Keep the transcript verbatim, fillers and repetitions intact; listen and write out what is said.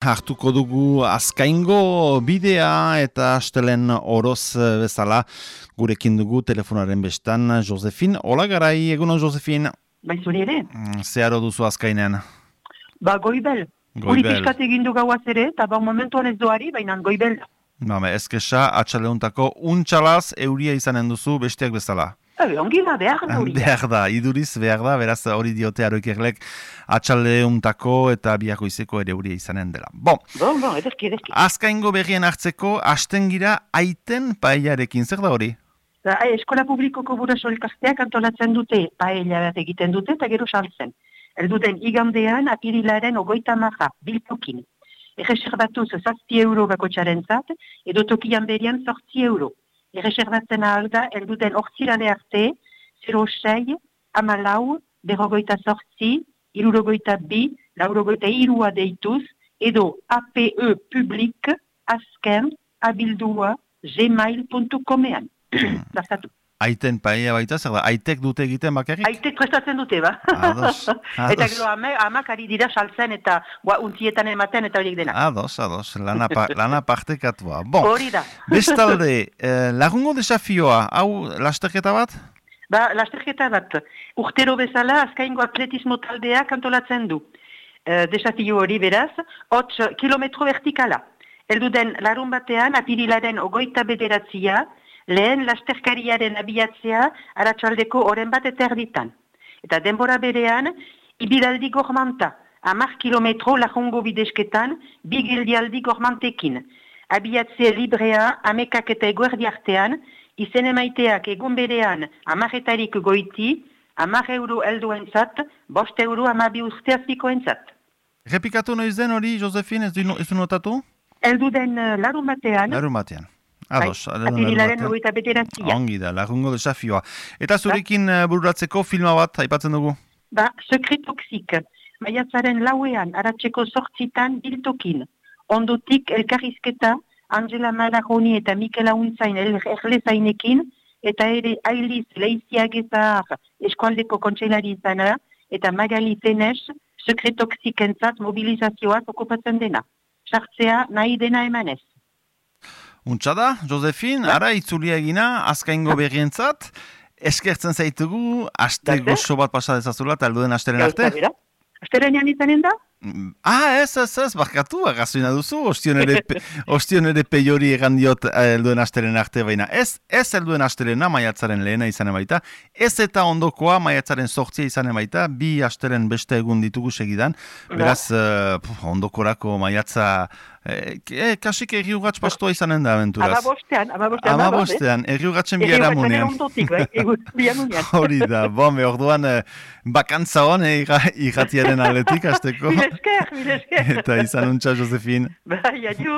Hartuko dugu Azkaingo bidea eta astelen oroz bezala gurekin dugu telefonaren bestan Josefin. Hola garai, egunon Josefin. Bai zuri ere? Zeharo duzu Azkainen? Ba goibel. Guri pixkat egin du gauaz ere, eta ba momentuan ez doari, baina goibel. Ba, ezkesa, atxaleuntako untxalaz euria izanen duzu besteak bezala. Ebe, ongi da, behar da hori. Behar da, iduriz behar da, beraz hori diote aroikerlek atxaleuntako eta biako izeko ere euria izanen dela. Bon, bon, bon ederki, ederki. Azkaingo berrien hartzeko astengira aiten paellarekin, zer da hori? Da, eskola publikoko buraso elkarteak antolatzen dute paella bat egiten dute eta gero saltzen. Elduten igandean apirilaren ogoita marra, biltokin. Erreserbatuz zazpi euro bako txarentzat, edo tokian berian zortzi euro. Erreserbatzen ahal da, elduten ortzirale arte, zero sei, amalau, berrogoita zortzi, irurogoita bi, laurogoita irua deituz, edo A P E publik, azken, abildua, gmail puntu comean. Zartatu. Aiten paella baita, zer da, aitek dute egiten bakarrik? Aitek prestatzen dute, ba. Ados, ados. Eta gero amak, amak ari dira saltzen eta gua, untzietan ematen eta horiek dena. Ados, ados, lana, pa, lana partekatua. Bon, hori da. Bestalde, eh, lagungo desafioa, hau lasterketa bat? Ba, lasterketa bat. Urtero bezala, Azkaingo atletismo taldeak antolatzen du. E, desafio hori beraz, hots kilometro vertikala. Elduden larun batean, apirilaren ogoita bederatzia, lehen lasterkariaren abiatzea aratsaldeko oren bat eta erditan. Eta denbora berean, ibilaldi gormanta, hamar kilometro lajongo bidesketan, bi geldialdi gormantekin. Abiatzea librea, amekak eta eguerdi artean, izen emaiteak egun berean amaretarik goiti, hamar euro helduentzat, bost euro amabi usteazpikoentzat. Repikatu noiz den hori, Josefin, ez du, ez du notatu? Eldu den uh, larun batean. Larun batean. Ados, apirilaren ogoita bederatzia. Ongi da, lagungo desafioa. Eta zurekin ba? bururatzeko filma bat, aipatzen dugu? Ba, Secret Toxic. Maiatzaren lauean, aratzeko sortzitan biltokin. Ondotik elkarrizketa, Angela Malaroni eta Mikel Auntzain erlezainekin, eta ere Ailiz Leiziagezahar eskualdeko kontseilari izana, eta Magali Tenes, Secret Toxic entzat mobilizazioak okupatzen dena. Sartzea nahi dena emanez. Untxada, Josefin, ja. Ara itzulia egina, Azkaingo berrientzat, eskertzen zaitugu, aste gozo bat pasa dezazula, eta alduden asteren arte? Asterenean izanen da? Ah, ez, ez, ez, barkatu, agazuina duzu, ostion ere peiori egan diot elduen asteren arte baina. Ez, ez elduen asterena, maiatzaren lehena izanen baita, ez eta ondokoa maiatzaren sortzia izanen baita, bi asteren beste egun ditugu segidan, beraz, uh, ondokorako maiatza, eh, eh, kasik erriugatz pastoa izanen da, abenturaz. Amabostean, amabostean. Amabostean, erriugatzen biharamunean. Hori da, bombe, orduan, eh, bakantza hon, eh, irratiaren aletik, azteko. Mil esker, mil esker. Eta izan untxa, Josefin. Bai, adiu.